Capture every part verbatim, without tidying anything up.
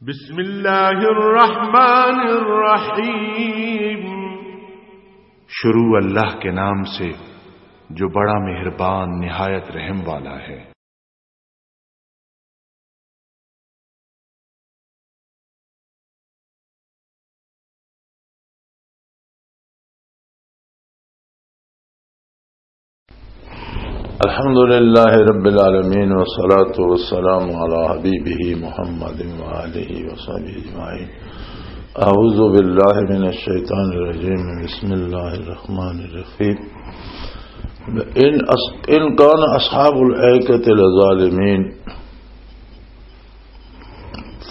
بسم اللہ الرحمن الرحیم۔ شروع اللہ کے نام سے جو بڑا مہربان نہایت رحم والا ہے۔ الحمد لله رب العالمين، والصلاة والسلام على حبيبه محمد وآله وصحبه أجمعين. أعوذ بالله من الشيطان الرجيم. بسم الله الرحمن الرحيم. إن أص-، إن كان أصحاب الأيكة لظالمين،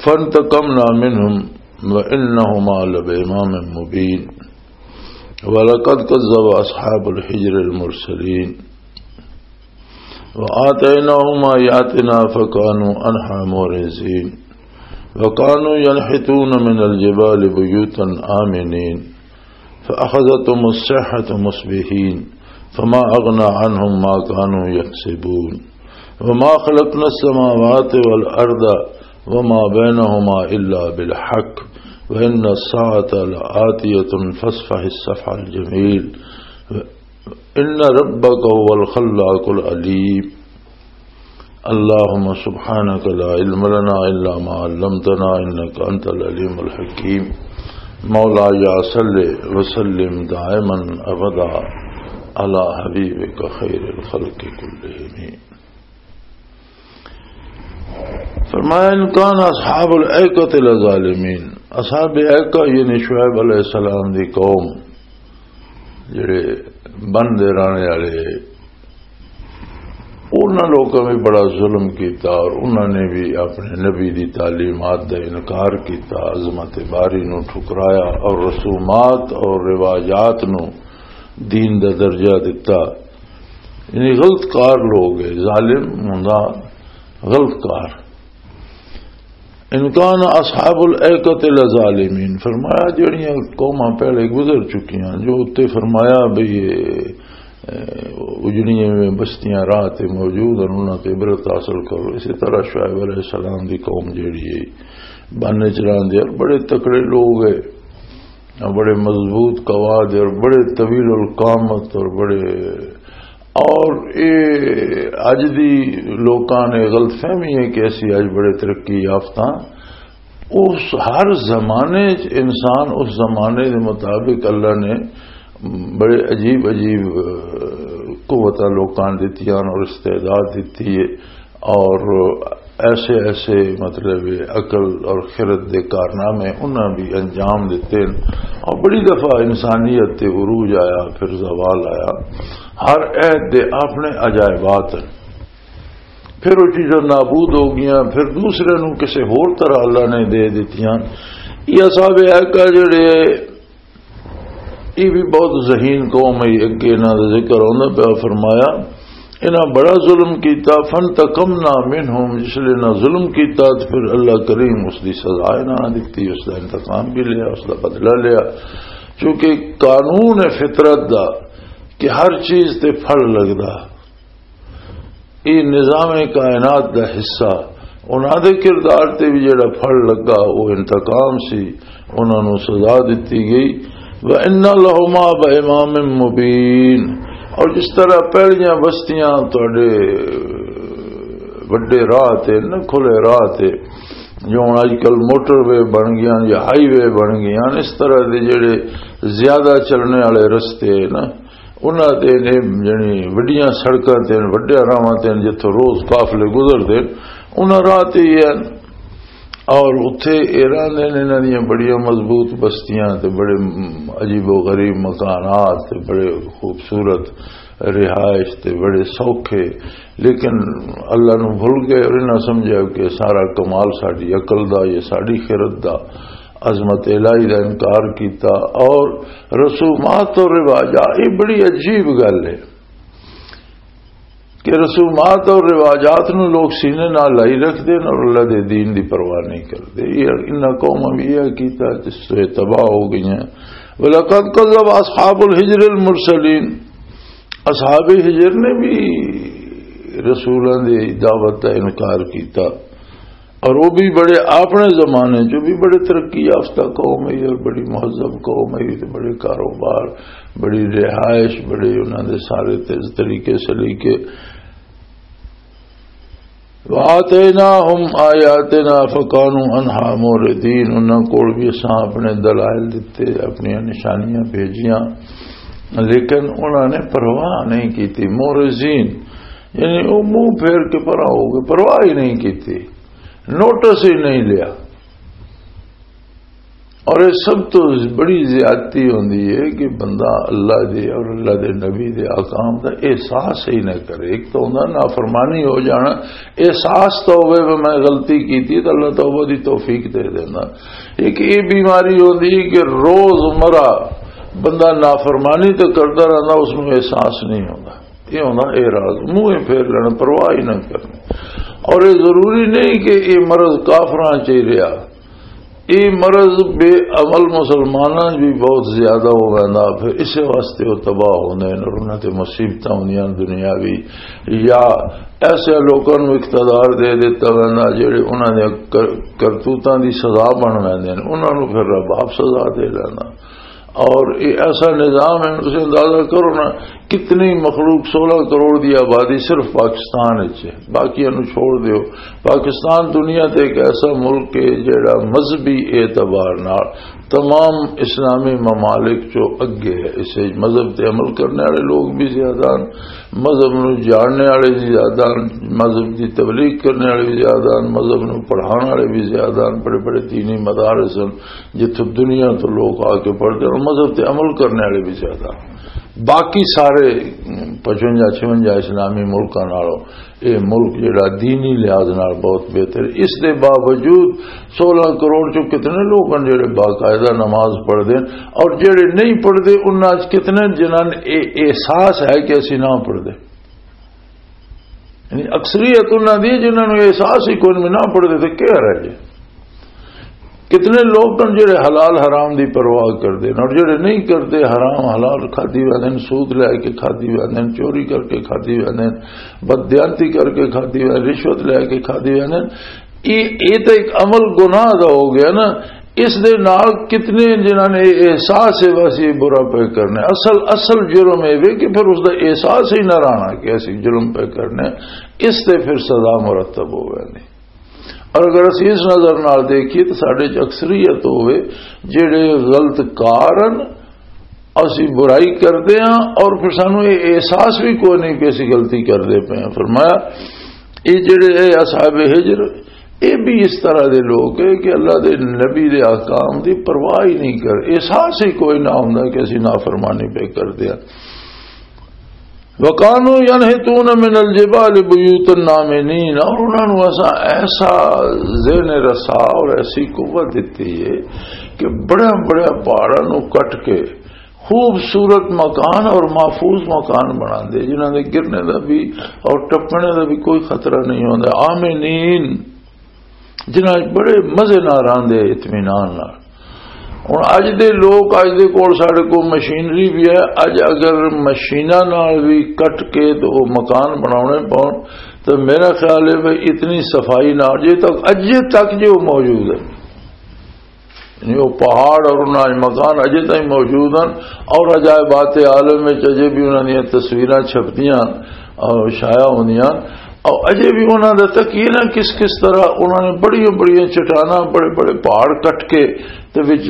فانتقمنا منهم وإنهما لبإمام مبين. ولقد كذب أصحاب الحجر المرسلين وآتيناهم آياتنا فكانوا عنها معرضين. وكانوا ينحتون من الجبال بيوتا آمنين. فأخذتهم الصيحة مصبحين. فما أغنى عنهم ما كانوا يكسبون. وما خلقنا السماوات والأرض وما بينهما إلا بالحق وإن الساعة لآتية فاصفح الصفح الجميل. إن ربك هو الخلاق العليم. اللهم سبحانك لا علم لنا إلا ما علمتنا إنك أنت العليم الحكيم. مولاي صل وسلم دائما أبدا على حبيبك خير الخلق كلهم. فرمایا، ان کان اصحاب الایکۃ لظالمین، اصحاب ایکہ یعنی شعیب علیہ السلام دی قوم، جڑے بن دے رہنے والے، انہاں لوکاں بھی بڑا ظلم کیتا اور انہاں نے بھی اپنے نبی دی تعلیمات دا انکار کیتا، عظمت باری نو ٹھکرایا اور رسومات اور رواجات نو دین دا درجہ دتا۔ یعنی غلط کار لوگ ہے، ظالم ہوندا غلط کار۔ ان کان اصحاب الایکۃ لظالمین، فرمایا جڑیاں قوماں پہلے گزر چکیاں، جو اتنے فرمایا بھی یہ، اے، اجڑیاں میں بستیاں راہ تے موجود ہیں، انہاں تے عبرت حاصل کرو۔ اسی طرح شعیب علیہ السلام دی قوم جڑی ہے، بن چ رہندے اور بڑے تکڑے لوگ ہے، بڑے مضبوط قواد اور بڑے طویل القامت اور بڑے، اور اے اج دی لوکاں نے غلط فہمی ہے کہ اسی اج بڑے ترقی یافتہ۔ اس ہر زمانے چ انسان اس زمانے دے مطابق اللہ نے بڑے عجیب عجیب، اہ، قوتاں لوکاں دتیاں اور استعداد دتی ہے۔ اور ایسے ایسے مطلب عقل اور خرد دے کارنامے انہاں بھی انجام دیتے ہیں۔ اور بڑی دفعہ انسانیت تے عروج آیا، پھر زوال آیا۔ ہر عہد دے اپنے عجائبات ہیں۔ پھر وہ چیزاں نابود ہو گئیاں، پھر دوسرے نوں کسے ہور طرح اللہ نے دے دتیاں۔ یہ اصحاب ایکہ جڑے یہ بھی بہت ذہین قوم ہے، اگے انہاں دا ذکر ہوندا پیا، فرمایا، انہاں بڑا ظلم کیتا، فانتقمنا منہم، جس لئے انہاں ظلم کیتا تے پھر اللہ کریم اس دی سزا انہاں دتی، اس دا انتقام بھی لیا، اس دا بدلہ لیا۔ کیونکہ قانون ہے فطرت دا کہ ہر چیز تے پھل لگدا، یہ نظام کائنات دا حصہ، انہاں دے کردار تے بھی جڑا پھل لگا، وہ انتقام سی، انہاں نوں سزا دتی گئی۔ وَإِنَّ لَهُمَا بِإِمَامٍ مُّبِينٍ۔ اور جس طرح پہلیاں بستیاں تہاڈے وڈے راہ تے، نہ کھلے راہ تے، جو ہن اج کل موٹر وے بن گئیاں یا ہائی وے بن گئیاں، اس طرح دے جڑے زیادہ چلنے والے رستے نا، انہاں تے نے جنی وڈیاں سڑکاں تے، وڈیاں راہواں تے جتھوں روز قافلے گزردے، انہاں راہ تے ہی ہیں۔ اور اتھے ایران دے نے انہاں دیاں بڑیاں مضبوط بستیاں تے بڑے عجیب و غریب مکانات تے بڑے خوبصورت رہائش تے بڑے سوکھے، لیکن اللہ نو بھول گئے اور انہاں سمجھا کہ سارا کمال ساڈی عقل دا، یہ ساڈی خرد دا۔ عظمت الہی دا انکار کیتا۔ اور رسومات اور رواجات، یہ بڑی عجیب گل ہے کہ رسومات اور رواجات نو لوگ سینے نال لائی رکھدے نے اور اللہ دے دین دی پرواہ نہیں کردے۔ یہ انہاں قوماں بھی یہ کیتا جس سے تباہ ہو گئی ہیں۔ وَلَقَدْ كَذَّبَ أَصْحَابُ الْحِجْرِ الْمُرْسَلِينَ، اصحاب ہجر نے بھی رسولاں دی دعوت دا انکار کیتا۔ اور وہ بھی بڑے، اپنے زمانے چ بھی بڑے ترقی یافتہ قوم ہے اور بڑی مہذب قوم ہے، تے بڑے کاروبار، بڑی رہائش، بڑے انہاں دے سارے تے-، طریقے سلیقے۔ وَآتَيْنَاهُمْ آيَاتِنَا فَكَانُوا عَنْهَا مُعْرِضِينَ، انہاں کول بھی اساں اپنے دلائل دتے، اپنیاں نشانیاں بھیجیاں، لیکن انہاں نے پرواہ نہیں کیتی۔ معرضین یعنی وہ منہ پھیر کے پرا ہو گئے، پرواہ ہی نہیں کیتی، نوٹس ہی نہیں لیا۔ اور یہ سب تو بڑی زیادتی ہوندی ہے کہ بندہ اللہ دے اور اللہ دے نبی دے احکام دا احساس ہی نہ کرے۔ ایک تو ہوندا نافرمانی ہو جانا، احساس تو ہوئے کہ میں غلطی کیتی تو اللہ توبہ دی توفیق دے دینا۔ ایک یہ بیماری ہوندی ہے کہ روز مرہ بندہ نافرمانی تو کردا رہندا، اس نوں احساس نہیں ہوندا۔ یہ ہوندا اعراض، منہ ہی پھیر لینا، پرواہ ہی نہ کرنی۔ اور یہ ضروری نہیں کہ یہ مرض کافراں چ ہی رہا، یہ مرض بے عمل مسلماناں بھی بہت زیادہ ہو ویندا، پھر اسے واسطے وہ تباہ ہوندے ہیں اور انہاں تے مصیبتاں ہوندیاں دنیاوی، یا ایسے لوکاں نوں اقتدار دے دتا ویندا جڑے انہاں دے کر-، کرتوتاں دی سزا بن ویندے ہیں، انہاں نوں پھر رب آپ سزا دے لینا۔ اور یہ ایسا نظام ہے، تسی اندازہ کرو نا، کتنی مخلوق، سولہ کروڑ دی آبادی صرف پاکستان وچ ہے، باقیاں نوں چھوڑ دیو۔ پاکستان دنیا تے ایک ایسا ملک ہے جڑا مذہبی اعتبار نال تمام اسلامی ممالک چوں اگے ہے۔ اس وچ مذہب تے عمل کرنے والے لوگ بھی زیادہ ہیں، مذہب نوں جاننے والے بھی زیادہ ہیں، مذہب دی تبلیغ کرنے والے بھی زیادہ ہیں، مذہب نوں پڑھان والے بھی زیادہ ہیں۔ بڑے بڑے دینی مدارس ہیں، جتھوں دنیا تو لوگ آ کے پڑھتے ہیں اور مذہب تے عمل کرنے والے بھی زیادہ۔ باقی سارے پچونجا چھونجا اسلامی ملکاں نالوں یہ ملک جڑا دینی لحاظ نال بہت بہتر ہے۔ اس دے باوجود سولہ کروڑ چوں کتنے لوگ ہیں جڑے باقاعدہ نماز پڑھتے ہیں، اور جڑے نہیں پڑھتے انہاں چ کتنے جنہاں نے یہ احساس ہے کہ اسی نہ پڑھتے؟ یعنی اکثریت انہاں دی جنہاں نوں احساس ہی کوئی نہیں، نہ پڑھتے تے کیا رہ جائے؟ کتنے لوگ ہیں جڑے حلال حرام دی پرواہ کردے نے، اور جڑے نہیں کردے، حرام حلال کھادی ویندے نے، سود لے کے کھادی ویندے نے، چوری کر کے کھادی ویندے نے، بددیانتی کر کے کھادی ویندے نے، رشوت لے کے کھادی ویندے نے۔ یہ، یہ تو ایک عمل گناہ دا ہو گیا نا۔ اس دے نال کتنے جنہاں نے احساس ہے بس یہ برا پہ کرنا ہے۔ اصل، اصل جرم یہ وے کہ پھر اس دا احساس ہی نہ رہنا کہ اسی جرم پہ کرنا ہے، اس تے پھر سزا مرتب ہو گئی۔ اور اگر اسی اس نظر نال دیکھیے تو ساڈے چ اکثریت ہوئے جڑے غلط کار ہیں، اسی برائی کردے ہاں اور پھر سانو یہ احساس بھی کوئی نہیں کہ اسی غلطی کردے پے ہیں۔ فرمایا، یہ جڑے اے اصحاب ہجر، یہ بھی اس طرح دے لوگ ہیں کہ اللہ دے نبی دے احکام دی پرواہ ہی نہیں کر، احساس ہی کوئی نہ ہوندا کہ اسی نافرمانی پہ کردے ہاں۔ وَكَانُوا يَنْحِتُونَ مِنَ الْجِبَالِ بُيُوتًا آمِنِينَ، اور انہاں نوں ایسا، ایسا ذہن رسا اور ایسی قوت دتی ہے کہ بڑے بڑے پہاڑاں نوں کٹ کے خوبصورت مکان اور محفوظ مکان بنا دے، جنہاں دے گرنے دا بھی اور ٹپنے دا بھی کوئی خطرہ نہیں ہوندا۔ آمنین، جنہاں وچ بڑے مزے نال رہندے، اطمینان نال۔ ہن اج دے لوگ، اج دے کول ساڈے کول مشینری بھی ہے، اج اگر مشیناں نال بھی کٹ کے تے او مکان بناونے پون، تے میرا خیال ہے بھئی اتنی صفائی نال جے تک، اجے تک جے او موجود ہے، یعنی وہ پہاڑ اور انہاں دے مکان اجے تائیں موجود ہیں، اور عجائبات عالم وچ اجے بھی انہاں دیاں تصویراں چھپدیاں اور شائع ہوندیاں، اور اجے بھی انہاں دا تکیہ نہ کس کس طرح انہاں نے بڑیاں بڑیاں چٹاناں، بڑے بڑے پہاڑ کٹ کے تے وچ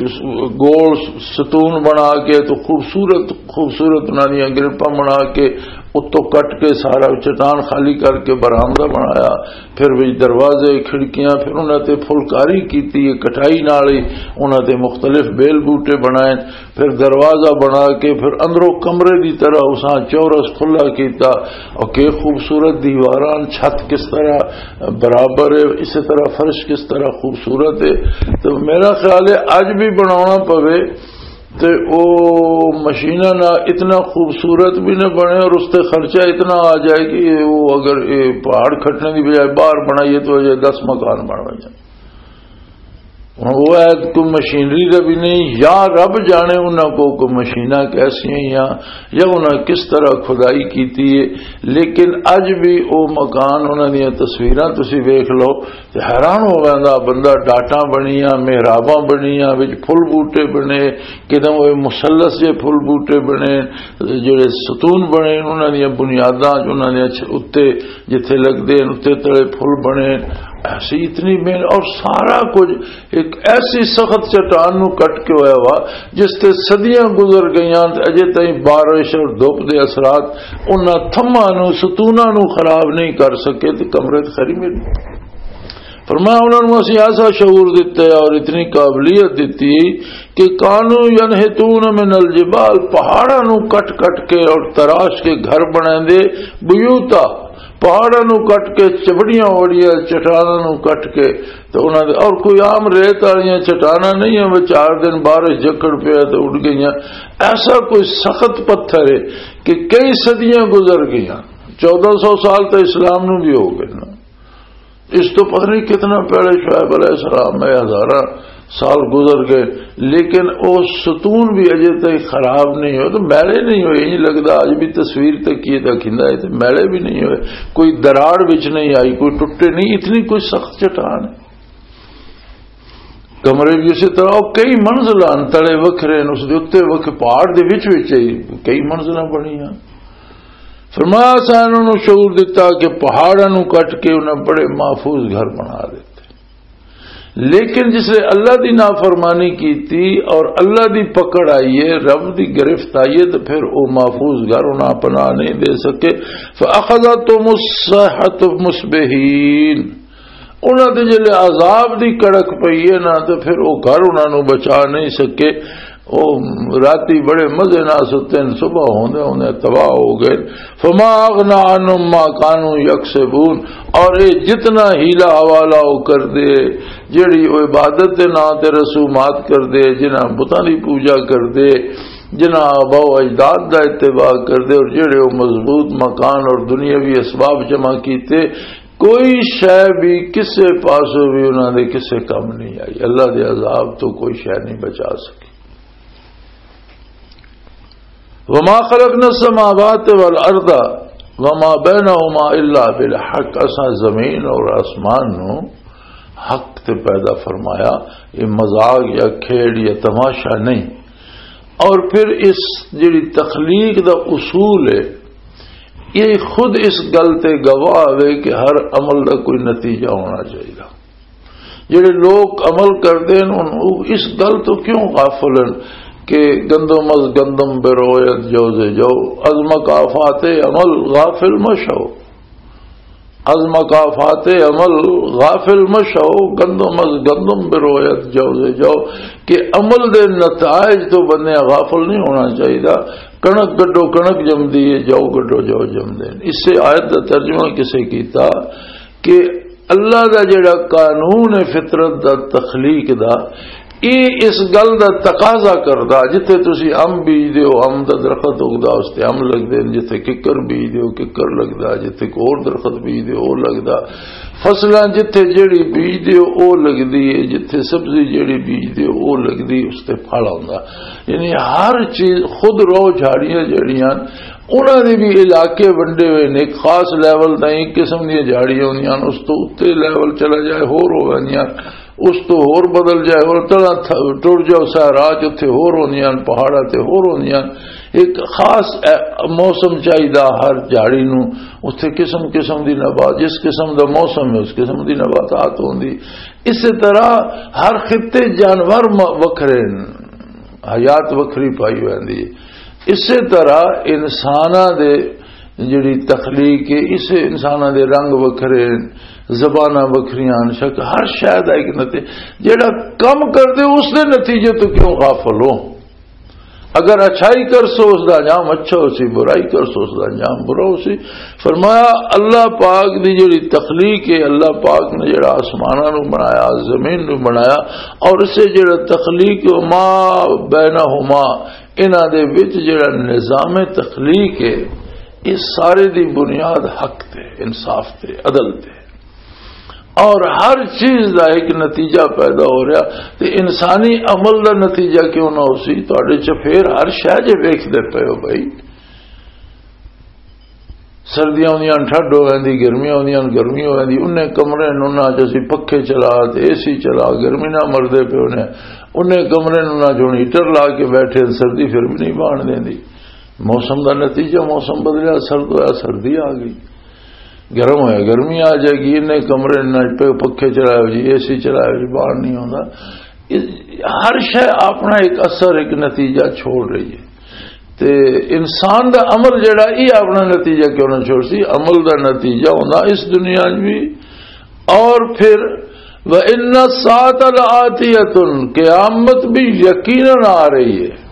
گول ستون بنا کے تو خوبصورت خوبصورت انہاں دیاں گرپاں بنا کے اتوں کٹ کے سارا چٹان خالی کر کے برآمدہ بنایا، پھر وچ دروازے، کھڑکیاں، پھر انہاں تے پھلکاری کیتی ہے، کٹائی نال ہی انہاں تے مختلف بیل بوٹے بنائے، پھر دروازہ بنا کے پھر اندروں کمرے دی طرح اساں چورس کھلا کیتا، اور کہ خوبصورت دیواراں، چھت کس طرح برابر ہے، اسی طرح فرش کس طرح خوبصورت ہے۔ تو میرا خیال ہے اج بھی بناونا پوے تے او مشیناں نال اتنا خوبصورت بھی نہ بنے اور اس تے خرچہ اتنا آ جائے کہ وہ اگر یہ پہاڑ کھٹنے دی بجائے باہر بنائیے تو اجے دس مکان بن جائے۔ ہن وہ عید کوئی مشینری دا بھی نہیں، یا رب جانے انہاں کو کوئی مشیناں کیسیاں یا، یا انہاں کس طرح کھدائی کیتی ہے۔ لیکن اج بھی او مکان، انہاں دیاں تصویراں تسی ویکھ لو تے حیران ہو ویندا بندہ۔ ڈاٹاں بنیاں، محراباں بنیاں، وچ پھل بوٹے بنے، کدے وہ مثلث جے پھل بوٹے بنے، جڑے ستون بنے، انہاں دیاں بنیاداں، انہاں دیاں چھ-، اُتے جتھے لگدے ہن، اُتے تلے پھل بنے۔ ایسی اتنی محنت، اور سارا کچھ ایک ایسی سخت چٹان نو کٹ کے ہویا ہوا، جس تے صدیاں گزر گئیاں تے اجے تائیں بارش اور دھوپ دے اثرات انہاں تھماں نو، ستوناں نو خراب نہیں کر سکے۔ تے کمرے تے خری میری۔ فرمایا، انہاں نوں اسی ایسا شعور دتا ہے اور اتنی قابلیت دتی کہ کانوا ینحتون من الجبال، پہاڑاں نوں کٹ کٹ کے اور تراش کے گھر بناندے، بیوتا، پہاڑاں نوں کٹ کے، چبڑیاں وڑیاں چٹاناں نوں کٹ کے، تے انہاں دے، اور کوئی عام ریت والیاں چٹاناں نہیں ہیں، وہ چار دن بارش جکڑ پیا تے اڑ گئیاں۔ ایسا کوئی سخت پتھر ہے کہ کئی صدیاں گزر گئیاں، چودہ سو سال تو اسلام نوں بھی ہو گئے نا۔ اس تو پتہ نہیں کتنا پہلے شعیب علیہ السلام میں ہزاراں سال گزر گئے، لیکن وہ ستون بھی اجے تک خراب نہیں ہوئے، تو میلے نہیں ہوئے۔ یہ لگدا اج بھی تصویر تک یہ تک ہندا ہے، تو میلے بھی نہیں ہوئے، کوئی دراڑ وچ نہیں آئی، کوئی ٹوٹے نہیں، اتنی کوئی سخت چٹان ہے۔ کمرے بھی اسی طرح، وہ کئی منزلاں تلے وکھرے نے، اس دے اُتے وکھ پہاڑ دے وچ وچ ہی کئی منزلاں بنیاں۔ فرمایا، اساں انہاں نوں شعور دتا کہ پہاڑاں نوں کٹ کے انہاں بڑے محفوظ گھر بنا دیتے۔ لیکن جس نے اللہ دی نافرمانی کیتی اور اللہ دی پکڑ آئی ہے، رب دی گرفت آئی ہے، تو پھر وہ محفوظ گھر انہاں پناہ نہیں دے سکے۔ فَأَخَذَتْهُمُ الصَّيْحَةُ مُصْبِحِينَ، انہاں دے جلے عذاب دی کڑک پئی ہے نا، تے پھر او گھر انہاں نوں بچا نہیں سکے۔ او راتی بڑے مزے نال ستے نے، صبح ہوندے ہوندے تباہ ہو گئے۔ فما اغنى عنهم ما كانوا يكسبون، اور اے جتنا حیلہ حوالہ او کردے، جڑی او عبادت دے ناں تے رسومات کردے، جنہاں بتاں دی پوجا کردے، جنہاں آبا و اجداد دا اتباع کردے، اور جڑے او مضبوط مکان اور دنیاوی اسباب جمع کیتے، کوئی شے بھی کسے پاسوں بھی انہاں دے کسے کم نہیں آئی۔ اللہ دے عذاب تو کوئی شے نہیں بچا سکی۔ وما خلقنا السماوات والارض وما بينهما الا بالحق، اساں زمین اور آسمان نو حق تے پیدا فرمایا۔ یہ مذاق یا کھیڑ یا تماشا نہیں۔ اور پھر اس جڑی تخلیق دا اصول ہے، یہ خود اس گل تے گواہ ہے کہ ہر عمل دا کوئی نتیجہ ہونا چاہیے۔ جڑے لوگ عمل کردے ہیں، ان، وہ اس گل تو کیوں غافل ہیں کہ گندم از گندم بروید جوز جو، از مکافات عمل غافل مشو۔ از مکافات عمل غافل مشو، گندم از گندم بروید جوز جو، کہ عمل دے نتائج تو بندے غافل نہیں ہونا چاہیے۔ کنک گڈو کنک جمدی ہے، جو گڈو جو جمدے ہیں۔ اس سے آیت دا ترجمہ کسے کیتا کہ اللہ دا جڑا قانون ہے فطرت دا، تخلیق دا، یہ اس گل دا تقاضا کردا، جتھے تسی ام بیج دیو، ام دا درخت اگدا، اس تے ام لگدے نے، جتھے ککر بیج دیو، ککر لگدا، جتھے کور درخت بیج دیو، او لگدا۔ فصلاں جتھے جڑی بیج دیو، او لگدی ہے، جتھے سبزی جڑی بیج دیو، او لگدی، اس تے پھل آندا۔ یعنی ہر چیز خود رو جھاڑیاں جڑیاں، انہاں دے بھی علاقے ونڈے ہوئے نے۔ ایک خاص لیول تائیں ایک قسم دیاں جھاڑیاں ہوندیاں ہن، اس تو اُتے لیول چلا جائے، ہور ہو ویندیاں، اس تو ہور بدل جائے، اور طرح تھ-، ٹر جاؤ صحرا چ، اتھے ہور ہوندیاں ہن، پہاڑاں تے ہور ہوندیاں ہن۔ ایک خاص، اے، موسم چاہیدا ہر جھاڑی نوں، اتھے قسم قسم دی نبات، جس قسم دا موسم ہے، اس قسم دی نباتات ہوندی۔ اسی طرح ہر خطے جانور م-، وکھرے ہن، حیات وکھری پائی ہوندی۔ اسی طرح انساناں دے جڑی تخلیق ہے، اس انساناں دے رنگ وکھرے ہن، زباناں وکھریاں ہن، شک ہر شے دا ایک نتیجہ۔ جڑا کم کردے، اس دے نتیجے تو کیوں غافل ہو؟ اگر اچھائی کرسو، اس دا انجام اچھا ہو سی، برائی کرسو، اس دا انجام برا ہو سی۔ فرمایا، اللہ پاک دی جڑی تخلیق ہے، اللہ پاک نے جڑا آسماناں نو بنایا، زمین نو بنایا، اور اسے جڑا تخلیق، ما بینہما، انہاں دے وچ جڑا نظام تخلیق ہے، یہ سارے دی بنیاد حق تے، انصاف تے، عدل تے۔ اور ہر چیز دا ایک نتیجہ پیدا ہو رہا۔ تے انسانی عمل دا نتیجہ کیوں نہ ہو سی؟ تہاڈے چ پھر ہر شے جے ویکھدے پئے ہو بھائی، سردیاں ہوندیاں ٹھنڈ ہو ویندی، گرمیاں ہوندیاں گرمی ہو ویندی۔ انہیں کمرے نوں نہ چ اسی پکھے چلا تے اے سی چلا، گرمی نہ مردے پئے ہونے۔ انہیں کمرے نوں نہ چ ہن ہیٹر لا کے بیٹھے، سردی پھر بھی نہیں بان دیندی۔ موسم دا نتیجہ، موسم بدلیا، سرد ہویا، سردی آ گئی، گرم ہویا، گرمی آ جائے گی۔ انہیں کمرے نہ چ پکھے چلائے ہو جی، اے سی چلائے ہو جی، بان نہیں ہوندا۔ ہر شے اپنا ایک اثر، ایک نتیجہ چھوڑ رہی ہے۔ تے انسان دا عمل جڑا، یہ اپنا نتیجہ کیوں نہ چھوڑ سی؟ عمل دا نتیجہ ہوندا اس دنیا وچ بھی، اور پھر وَإِنَّ السَّاعَةَ لَآتِيَةٌ، قیامت بھی یقیناً آ رہی ہے۔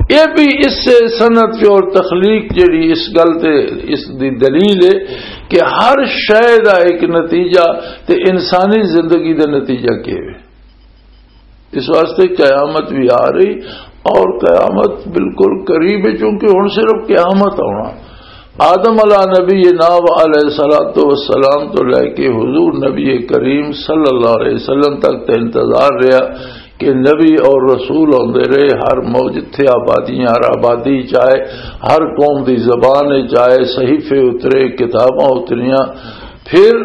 یہ بھی اس سے صنعت پہ اور تخلیق جڑی اس گل تے، اس دی دلیل ہے کہ ہر شے دا ایک نتیجہ، تے انسانی زندگی دا نتیجہ کیا ہے؟ اس واسطے قیامت بھی آ رہی، اور قیامت بالکل قریب ہے، چونکہ ہن صرف قیامت آنا۔ آدم علیہ نبی ناو علیہ الصلوۃ والسلام تو لے کے حضور نبی کریم صلی اللہ علیہ وسلم تک تے انتظار رہا کہ نبی اور رسول آندے رہے۔ ہر موج تھے، آبادیاں، ہر آبادی چاہے، ہر قوم دی زبان چاہے، صحیفے اترے، کتاباں اتریاں۔ پھر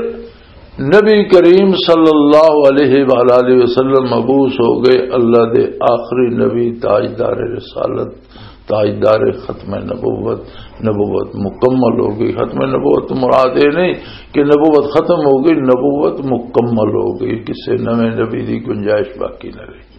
نبی کریم صلی اللہ علیہ وآلہ وسلم مبعوث ہو گئے، اللہ دے آخری نبی، تاجدار رسالت، تاجدار ختم نبوت۔ نبوت مکمل ہو گئی۔ ختم نبوت تو مراد یہ نہیں کہ نبوت ختم ہو گئی، نبوت مکمل ہو گئی، کسی نویں نبی دی گنجائش باقی نہ رہی۔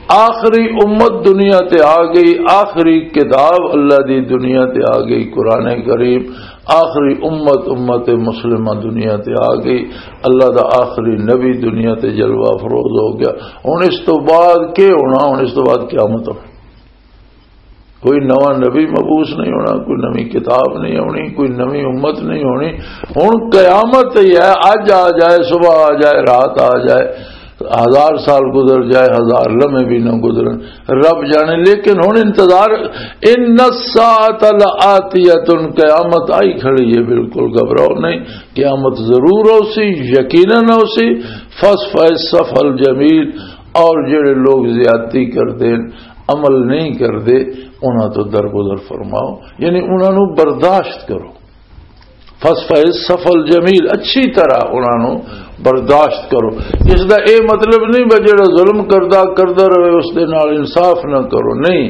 آخری امت دنیا تے آ گئی، آخری کتاب اللہ دی دنیا تے آ گئی، قرآن کریم۔ آخری امت، امت مسلمہ دنیا تے آ گئی، اللہ دا آخری نبی دنیا تے جلوہ افروز ہو گیا۔ ہن اس تو بعد کی ہونا؟ ہن اس تو بعد قیامت ہونی۔ کوئی نواں نبی مبعوث نہیں ہونا، کوئی نویں کتاب نہیں ہونی، کوئی نویں امت نہیں ہونی۔ ہن قیامت ہی ہے، اج آ جائے، صبح آ جائے، رات آ جائے، ہزار سال گزر جائے، ہزار لمحے بھی نہ گزرن، رب جانے۔ لیکن ہن انتظار، ان الساعۃ لآتیۃ، قیامت آئی کھڑی ہے، بالکل گھبراؤ نہیں، قیامت ضرور ہو سی، یقیناً ہو سی۔ فاصفح الصفح الجمیل، اور جڑے لوگ زیادتی کردے، عمل نہیں کردے، انہاں تو درگزر فرماؤ، یعنی انہاں نو برداشت کرو۔ فاصفح الصفح الجمیل، اچھی طرح انہاں نو برداشت کرو۔ اس دا اے مطلب نہیں بس جڑا ظلم کردا، کردا رہے، اس دے نال انصاف نہ کرو، نہیں،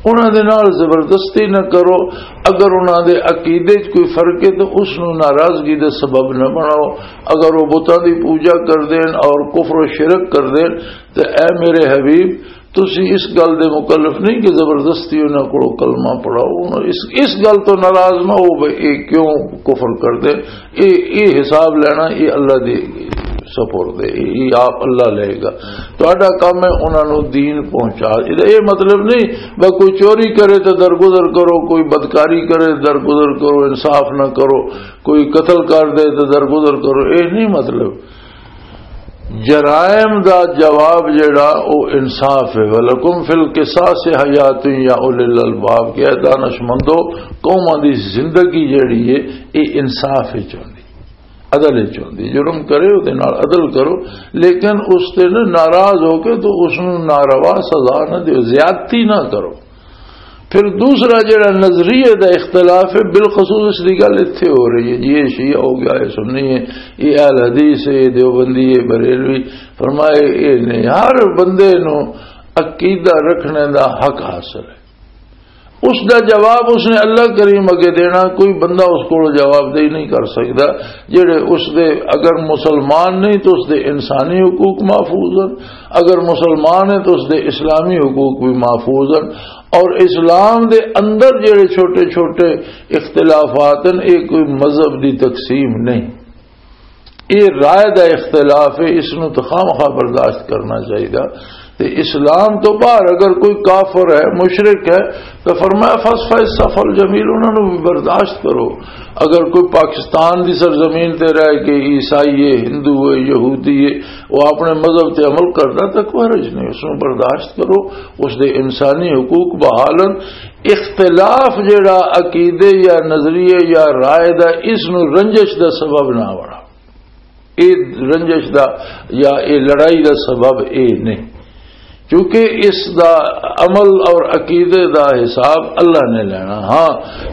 انہاں دے نال زبردستی نہ کرو۔ اگر انہاں دے عقیدے 'چ کوئی فرق ہے تو اس نو ناراضگی دا سبب نہ بناؤ۔ اگر وہ بتاں دی پوجا کر دین اور کفر و شرک کر دین، تو اے میرے حبیب، تسی اس گل دے مکلف نہیں کہ زبردستی انہاں کولوں کلمہ پڑھاؤ۔ انہاں اس، اس گل تو ناراض نہ ہو بھئی اے کیوں کفر کر دے۔ اے، اے حساب لینا، اے اللہ دی سپرد ہے، اے، اے آپ اللہ لے گا۔ تہاڈا کام ہے انہاں نوں دین پہنچا۔ اے، اے مطلب نہیں بس کوئی چوری کرے تو درگزر کرو، کوئی بدکاری کرے تو درگزر کرو، انصاف نہ کرو، کوئی قتل کر دے تو درگزر کرو، اے نہیں مطلب۔ جرائم دا جواب جڑا او انصاف ہے۔ وَلَكُمْ فِي الْقِصَاصِ حَيَاةٌ يَا أُولِي الْأَلْبَابِ، کہ اے دانشمندو، قوماں دی زندگی جڑی ہے، اے انصاف وچ ہوندی، عدل وچ ہوندی۔ جرم کرے، اودے نال عدل کرو، لیکن اس تے نہ ناراض ہو کے تو اس نوں ناروا سزا نہ دیو، زیادتی نہ کرو۔ پھر دوسرا جڑا نظریے دا اختلاف ہے، بالخصوص اس دی گل اتھے ہو رہی ہے جی، یہ شیعہ ہو گیا، یہ سنی ہے، یہ اہل حدیث ہے، یہ دیوبندی ہے، بریلوی۔ فرمائے، یہ نہیں، ہر بندے نو عقیدہ رکھنے دا حق حاصل ہے۔ اس دا جواب اس نے اللہ کریم اگے دینا، کوئی بندہ اس کو جواب دہی نہیں کر سکتا۔ جڑے اس دے، اگر مسلمان نہیں تو اس دے انسانی حقوق محفوظ ہیں، اگر مسلمان ہے تو اس دے اسلامی حقوق بھی محفوظ ہیں۔ اور اسلام دے اندر جڑے چھوٹے چھوٹے اختلافات ہیں، یہ کوئی مذہب دی تقسیم نہیں، یہ رائے دا اختلاف ہے، اس نو تو خامخواہ برداشت کرنا چاہیے۔ تے اسلام تو باہر اگر کوئی کافر ہے، مشرک ہے، تو فرمایا، "فاصفح الصفح الجمیل"، انہاں نو بھی برداشت کرو۔ اگر کوئی پاکستان دی سرزمین تے رہ کے عیسائی ہے، ہندو ہے، یہودی ہے، وہ اپنے مذہب تے عمل کردا تو کوئی حرج نہیں، اس نو برداشت کرو، اس دے انسانی حقوق بحالن۔ اختلاف جڑا عقیدے یا نظریے یا رائے دا، اس نو رنجش دا سبب نہ بناؤ۔ اے رنجش دا یا اے لڑائی دا سبب اے نہیں، کیونکہ اس دا عمل اور عقیدے دا حساب اللہ نے لینا۔ ہاں،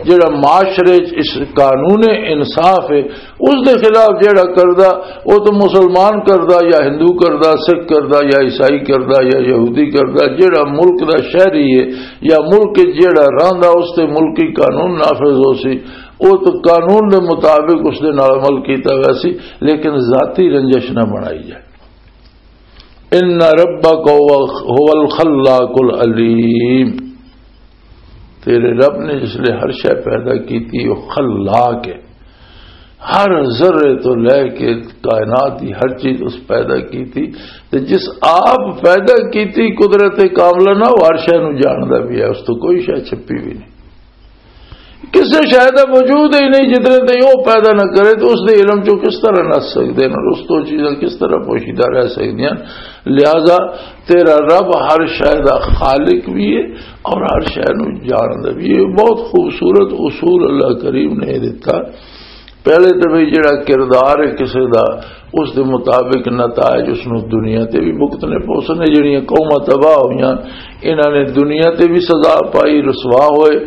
جڑا معاشرے چ اس قانون انصاف ہے، اس دے خلاف جڑا کردا، وہ تو مسلمان کردا یا ہندو کردا، سکھ کردا یا عیسائی کردا یا یہودی کردا، جڑا ملک دا شہری ہے یا ملک وچ جڑا رہندا، اس تے ملکی قانون نافذ ہو سی، وہ تو قانون دے مطابق اس دے نال عمل کیتا گیا سی، لیکن ذاتی رنجش نہ بنائی جائے۔ ان ربک هو الخلاق العلیم۔ تیرے رب نے جس لئے ہر شے پیدا کیتی، وہ خلاق ہے۔ ہر ذرے تو لے کے کائنات دی ہر چیز اس پیدا کیتی۔ تے جس آپ پیدا کیتی، قدرت کاملہ نہ، وہ ہر شے نوں جاندا بھی ہے، اس تو کوئی شے چھپی بھی نہیں۔ کسے شے دا وجود ہی نہیں، جتنے تائیں وہ پیدا نہ کرے، تو اس دے علم چوں کس طرح نس سکدے نے، اور اس تو چیزاں کس طرح پوشیدہ رہ سکدیاں؟ لہذا تیرا رب ہر شے دا خالق بھی ہے اور ہر شے نوں جاندا بھی ہے۔ بہت خوبصورت اصول اللہ کریم نے دتا۔ پہلے تے بھئی جڑا کردار ہے کسے دا، اس دے مطابق نتائج اس نوں دنیا تے بھی بھگتنے پوسنے۔ جڑیاں قوماں تباہ ہوئیاں، انہاں نے دنیا تے بھی سزا پائی، رسوا ہوئے،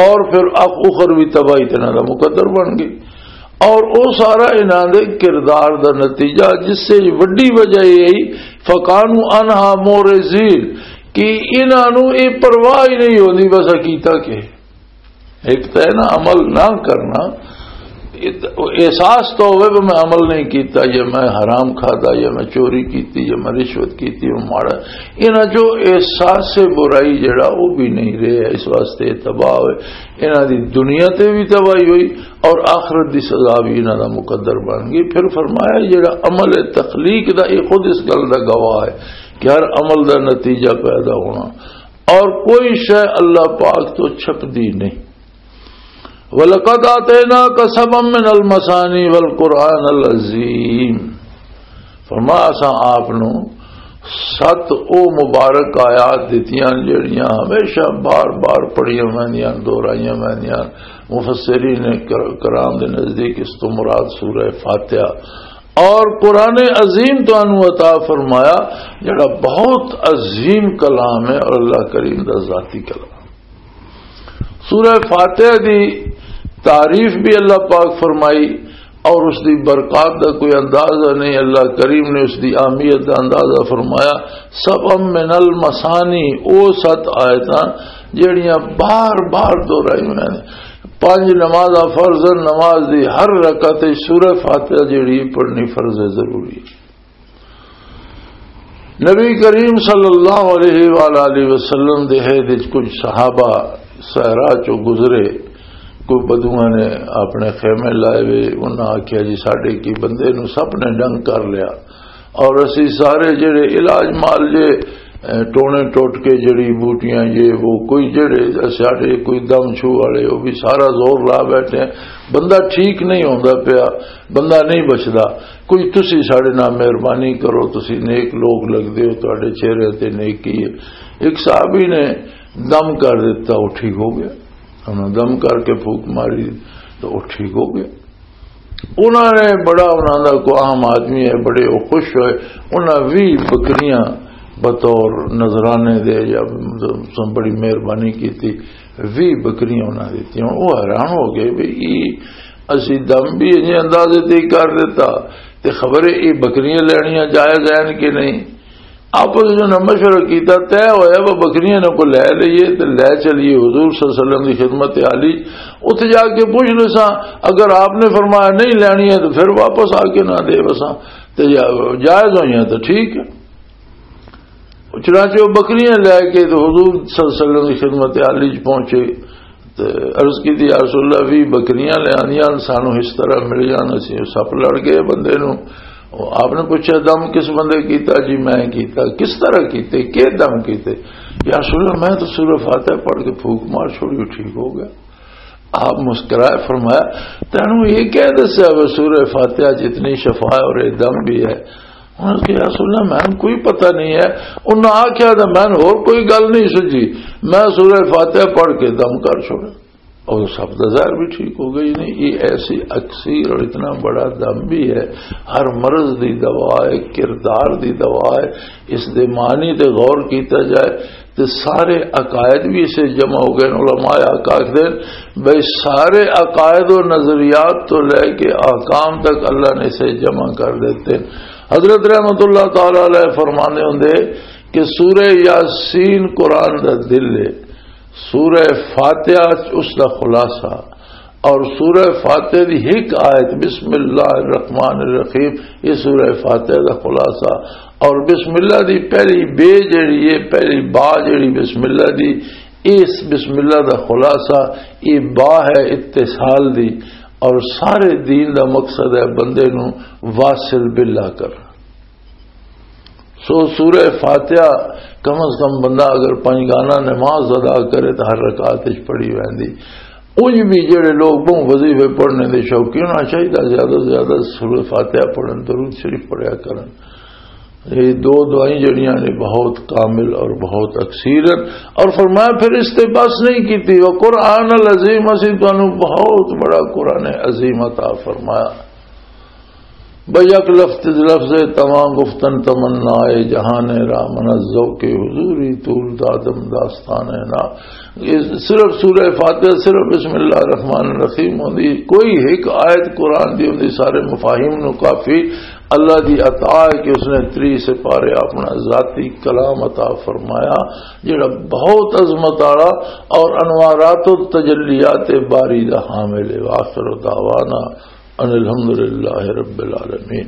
اور پھر اخ-، اخروی تباہی تے انہاں دا مقدر بن گئی۔ اور او سارا انہاں دے کردار دا نتیجہ، جس سے وڈی وجہ یہ ہے، فکانوا عنہا معرضین، کہ انہاں نوں یہ پرواہ ہی نہیں ہوندی، بس کیتا کہ ایک تو ہے نا عمل نہ کرنا، احساس تو ہوئے کہ میں عمل نہیں کیتا، یا میں حرام کھادا، یا میں چوری کیتی، یا میں رشوت کیتی، وہ ماڑا۔ انہاں جو احساس برائی جڑا، وہ بھی نہیں رہے، اس واسطے تباہ ہوئے۔ انہاں دی دنیا تے بھی تباہی ہوئی اور آخرت دی سزا بھی انہاں دا مقدر بن گئی۔ پھر فرمایا، جڑا عمل تخلیق دا، یہ خود اس گل دا گواہ ہے کہ ہر عمل دا نتیجہ پیدا ہونا، اور کوئی شے اللہ پاک تو چھپدی نہیں۔ وَلَقَدْ آتَيْنَاكَ سَبْعًا مِنَ الْمَثَانِي وَالْقُرْآنَ الْعَظِيمَ۔ فرمایا، اساں آپ نو ست او مبارک آیات دتیاں، جڑیاں ہمیشہ بار بار پڑھیاں ویندیاں، دہرائیاں ویندیاں۔ مفسرین کر-، کرام دے نزدیک اس تو مراد سورہ فاتحہ۔ اور قرآن عظیم تانوں عطا فرمایا، جڑا بہت عظیم کلام ہے اور اللہ کریم دا ذاتی کلام۔ سورہ فاتحہ دی تعریف بھی اللہ پاک فرمائی، اور اس دی برکات دا کوئی اندازہ نہیں۔ اللہ کریم نے اس دی اہمیت دا اندازہ فرمایا، سبع من المثانی، او ست آیتاں جڑیاں بار بار دہرائی ہوئیاں نے۔ پنج نمازاں فرض، نماز دی ہر رکعت وچ سورہ فاتحہ جڑی پڑھنی فرض ضروری ہے۔ نبی کریم صلی اللہ علیہ وآلہ وسلم دے عہد وچ کچھ صحابہ صحرا چوں گزرے، کوئی بدوؤں نے اپنے خیمے لائے وے، انہاں آکھیا، "جی، ساڈے کی بندے نو سپ نے ڈنگ کر لیا، اور اسی سارے جڑے علاج مال جے، اے، ٹونے ٹوٹ کے جڑی بوٹیاں، یہ وہ، کوئی جڑے ساڈے کوئی دم چھو والے، وہ بھی سارا زور لا بیٹھے ہیں، بندہ ٹھیک نہیں ہوندا پیا، بندہ نہیں بچدا۔" کوئی تسی ساڈے نال مہربانی کرو، تسی نیک لوگ لگدے ہو، تہاڈے چہرے تے نیکی ہے۔ ایک صحابی نے دم کر دتا، وہ ٹھیک ہو گیا۔ انہاں دم کر کے پھوک ماری تو وہ ٹھیک ہو گیا۔ انہاں نے بڑا، انہاں دا کوئی عام آدمی ہے، بڑے وہ خوش ہوئے۔ انہاں وی بکریاں بطور نذرانے دے یا بڑی مہربانی کیتی، وی بکریاں انہاں دتیاں۔ وہ حیران ہو گئے بھی اسی دم بھی انہیں اندازے تے ہی کر دیتا، تے خبر ہے یہ بکریاں لینیاں جائز ہیں کہ نہیں۔ آپس وچ انہاں مشورہ کیتا، طے ہویا وہ بکریاں نے کو لے لئیے تے لے چلیے حضور صلی اللہ علیہ وسلم دی خدمت عالی۔ اتھے جا کے پوچھ لساں، اگر آپ نے فرمایا نہیں لینی ہے تو پھر واپس آ کے نہ دے وساں، تے جا-، جائز ہوئیاں تو ٹھیک ہے۔ چنانچہ وہ بکریاں لے کے تو حضور صلی اللہ علیہ وسلم کی خدمت عالی چ پہنچے۔ تے عرض کی تھی، "یا رسول اللہ، وی بکریاں لے آنیاں، سانو اس طرح مل جان، اسی سپ لڑ گئے بندے نو۔" آپ نے پوچھا، "دم کس بندے کیتا؟" "جی میں کیتا۔" "کس طرح کیتے؟ کے دم کیتے؟" "یا رسول اللہ، میں تو سورہ فاتحہ پڑھ کے پھوک مار چھوڑی، وہ ٹھیک ہو گیا۔" آپ مسکرائے، فرمایا، "تینوں یہ کہہ دسیا وہ سورہ فاتحہ جتنی شفا ہے اور یہ دم بھی ہے؟" انہاں نے کہا، "یا رسول اللہ، مینوں کوئی پتہ نہیں ہے۔" انہاں آکھیا، "تے مینوں ہور کوئی گل نہیں سجھی، میں سورہ فاتحہ پڑھ کے دم کر چھوڑا۔" اور سب کا ظاہر بھی ٹھیک ہو گئی نہیں۔ یہ ایسی اکسیر اور اتنا بڑا دم بھی ہے، ہر مرض دی دوا ہے، کردار دی دوا ہے۔ اس دے معنی تے غور کیتا جائے تے سارے عقائد بھی اسے جمع ہو گئے۔ علماء حق آخدے بھئی سارے عقائد و نظریات تو لے کے احکام تک اللہ نے اسے جمع کر دیتے۔ حضرت رحمت اللہ تعالی علیہ فرماندے ہوندے کہ سورہ یاسین قرآن دا دل ہے، سورہ فاتحہ اس دا خلاصہ، اور سورہ فاتحہ دی ایک آیت بسم اللہ الرحمن الرحیم، یہ سورہ فاتحہ دا خلاصہ۔ اور بسم اللہ دی پہلی بے جڑی ہے، پہلی با جڑی بسم اللہ دی، اس بسم اللہ دا خلاصہ، یہ با ہے اتصال دی، اور سارے دین دا مقصد ہے بندے نو واصل باللہ کرنا۔ سو سورہ فاتحہ کم از کم بندہ اگر پنج گانا نماز ادا کرے تو ہر رکعت وچ پڑھی ویندی۔ انج بھی جڑے لوگ بہت وظیفے پڑھنے دے شوقین ہونا چاہیے، زیادہ سے زیادہ سورہ فاتحہ پڑھن، درود شریف پڑھیا کرن۔ یہ دو دعائیں جڑیاں نے بہت کامل اور بہت اکثیرت۔ اور فرمایا پھر اس تے بس نہیں کیتی، وہ قرآن العظیم، اسی تانوں بہت بڑا قرآن عظیم عطا فرمایا۔ بھئی یک لفظ، لفظ تمام گفتن تمنا اے جہان را، من از ذوق حضوری طول دادم داستان نا۔ یہ صرف سورہ فاتحہ، صرف بسم اللہ الرحمن الرحیم ہوندی، کوئی ایک آیت قرآن دی ہوندی، سارے مفاہیم نو کافی اللہ دی عطا ہے کہ اس نے تری سپارے اپنا ذاتی کلام عطا فرمایا، جڑا بہت عظمت والا اور انوارات و تجلیات باری دا حامل ہے۔ وآخر دعوانا ان الحمدللہ رب العالمین۔